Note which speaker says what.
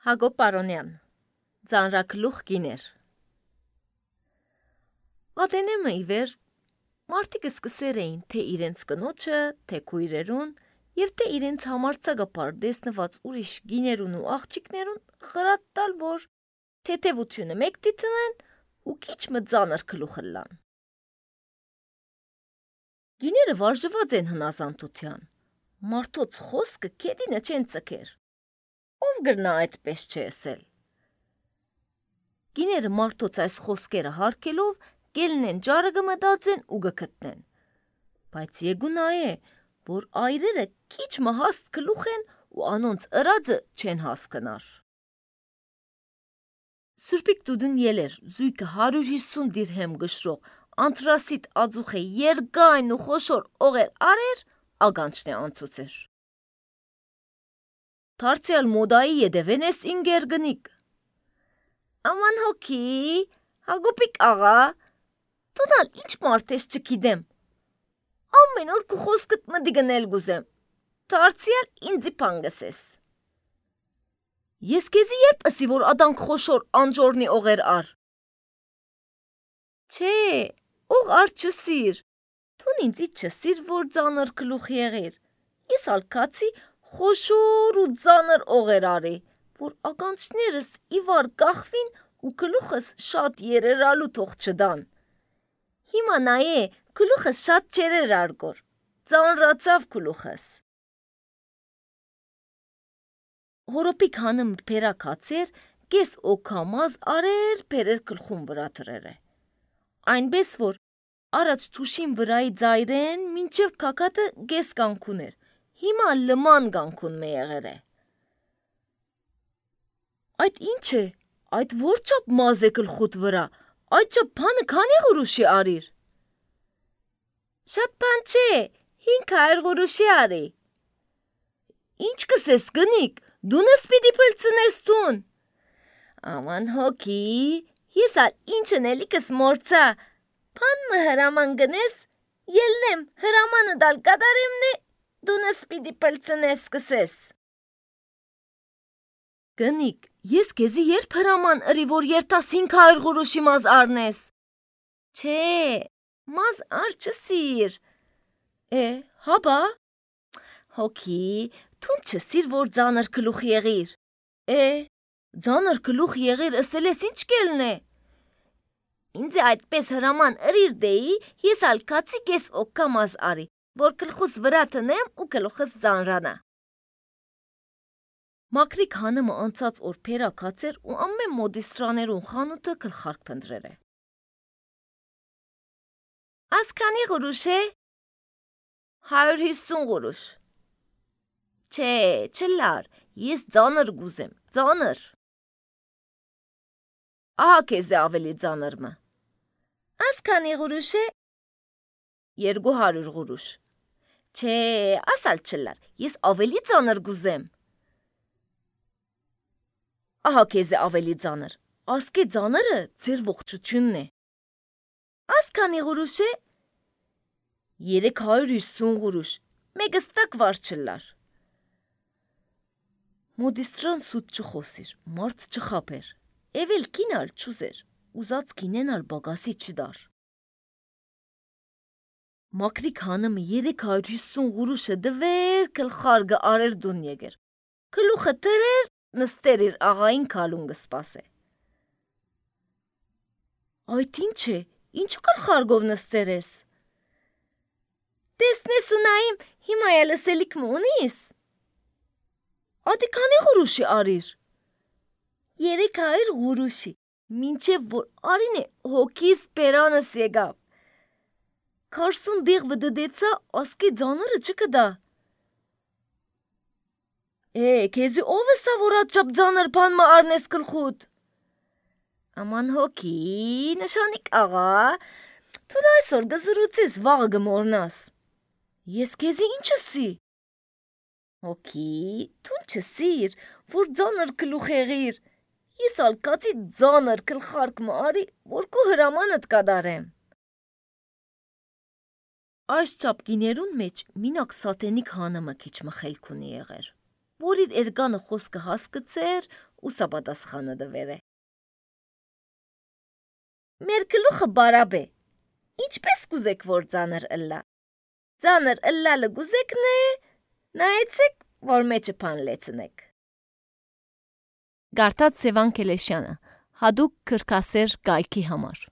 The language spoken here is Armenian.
Speaker 1: Հակոբ Պարոնյան, Ձանրագլուխ գիներ։ Ատենեմը ի վեր մարդիկ սկսեր էին թե իրենց կնոջը, թե քույրերուն և թե իրենց համարձակապար դեսնված ուրիշ գիներուն ու աղջիկներուն խրատ տալ, որ թեթևությունը մեկ դիտնեն ու քիչ մը ձանր գլուխ ըլլան։ Գիները վարժված են հնազանդության, մարդոց խոսքը քեդինը չեն ծքեր։ Ով գրնա այդպես չեսել։ Գիները մարդոց այս խոսքերը հարկելով գելնեն ջարը գմտածեն ու գգտնեն։ Բայց եգունա է, որ այրերը քիչ մը հաստ գլուխ են ու անոնց ըրածը չեն հասկնար։ Սուրպիկ դուդուն ելեր զույգը 150 դիրհեմ գշրող անտրասիտ ածուխ է երգայն ու խոշոր օղեր արեր, ագանչն է անցուցեր։ Թարցյալ մոդայի ետևեն ես ինգեր գնիկ։ Աման հոգի, Հակոբիկ աղա, դունալ ինչ մարդ ես չգիտեմ։ Ամեն օր քու խոսքդ մտի գնել գուզեմ։ Թարցյալ ինձի փանգս ես։ Ես քեզի երբ ասի, որ ադանք խոշոր անջորնի օղեր ար։ Չէ, օղ ար չսիր։ Դուն ինձի չսիր, որ ձանր գլուխ եղիր։ Ես ալքացի խոշոր ու ձանր օղեր արի, որ ականջներս իվար կախվին ու գլուխս շատ երերալու թող չդան։ Հիմա նայե, գլուխս շատ չերեր արգոր, ձանրացավ գլուխս։ Հորոպիկ հանım փերակացեր, կես օքամազ արեր փերեր գլխում վրա դրերը։ Այնպես որ առաջ թուշին վրայի ձայրեն մինչև կակատը գես կանքուն էր, հիմա լման կանքուն մե եղեր է։ Այդ ինչ է, այդ որ չափ մազ է գլխուտ վրա, այդ չափ բանը քանի գուրուշի արիր։ Շատ բան չէ, 500 գուրուշի արի։ Ինչ կսես գնիկ, դունս պիտի փլցնես տուն։ Աման հոգի, ես ալ ինչն էլիկս մորցա, բան մը հրաման գնես, ելնեմ հրամանը դալ կատարեմն է, դունս պիտի փլցնես կսես։ Գնիկ, ես քեզի երբ հրաման ըրի, որ երթաս 500 գուրուշի մազ արնես։ Չէ, մազ ար չսիր։ Հաբա։ Հոգի, թուն չսիր, որ ձանր գլուխ եղիր։ Ձանր գլուխ եղիր ըսել ես ինչ կելն է։ Ինձ այդպես հրաման ըրիր դեի, ես ալքացի կես օքամազ արի, որ գլխուս վրա տնեմ ու գլուխս ձանրանա։ Մակրիկ հանումը անցած օր փերակացեր ու ամեն մոդիստրաներուն խանութը գլխարկ փնտրեր է։ Ասքանի գուրուշ է։ 150 գուրուշ։ Չէ, չլար, ես ձանր գուզեմ, ձանր։ Ահա քեզ է ավելի ձանր մը։ Ասքանի գուրուշ է։ 200 գուրուշ։ Չէ, ասալ չլար, ես ավելի ձանր գուզեմ։ Ահա քեզ է ավելի ձանր, ասկե ձանրը ձեր ողջությունն է։ Ասքանի գուրուշ է։ 350 գուրուշ, մեգստակ վար չլար։ Մոդիստրան սուտ չխոսիր, մարդ չխապեր, էվել կինալ չուզեր, ուզած կինենալ բագասի չդար։ Մակրիկ հանումը 350 գուրուշը դվեր գլխարգը արեր դուն եկեր, գլուխը տրեր նստեր իր աղային քալուն գսպասե։ Այդ ինչ է, ինչու գլխարգով նստեր ես։ Տեսնես ու նայիմ, հիմա էլ ասելիք մը ունիս։ Ադի քանի գուրուշի արիր։ 300 գուրուշի, մինչև որ արին է հոգիս պերանս եկավ։ 40 դիղ վդդեցա, ասկի ձանրը չկդա։ Քեզի ով է սա որ աչապ ձանր բան մը արնես գլխուտ։ Աման հոգի, նշանիկ աղա, թուն այսօր գզրուցես, վաղը գմորնաս։ Ես քեզի ինչ ասի։ Հոգի, թուն չսիր, որ ձանր գլուխ եղիր։ Ես ալկացի ձանր գլխարկ մը արի, որ քու հրամանդ կադարեմ։ Այս չափ գիներուն մեջ մինակ սատենիկ հանումը քիչ մը խելք ունի եղեր, որ իր էրգանը խոսքը հասկացեր ու սապատասխանը դվեր է։ Մեր գլուխը բարաբ է, ինչպես կուզեք, որ ծանր ըլլա։ Ծանր ըլլալը գուզեկն է, նայեցեք, որ մեջը պան լեցնեք։ Գարտած Սևան Քելեշյանը, հադուկ քրքասեր կայքի համար։